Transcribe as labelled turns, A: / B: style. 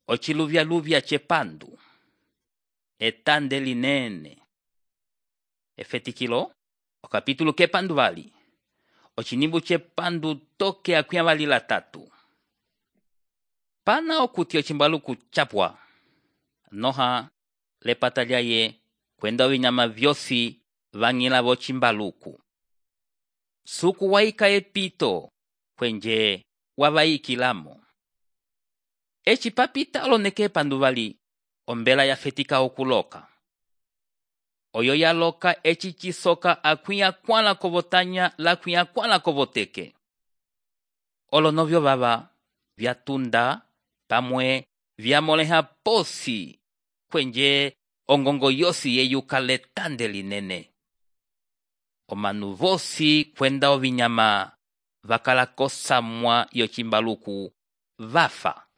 A: ociluvyaluvya cepandu, etande linene. Efetikilo, okapitulo kepandu vali, ocinimbu cepandu toke akwia vali latatu. Pana okuti ocimbaluku chapwa, noha lepata lyaye kwenda ovinyama vyosi vang'ila vocimbaluku. Suku waika epito kwenje wavaikilamo. Eci papita oloneke epandu vali, ombela yafetika okuloka. Oyo yaloka eci cisoka akwia kwala kovotanya lakwia kwala kovoteke. Olonovyo vava vyatunda pamwe vyamoleha posi kwenje ongongo yosi yeyuka letande linene. Omanu vosi kwenda ovinyama vakala kosamwa yocimbaluku vafa.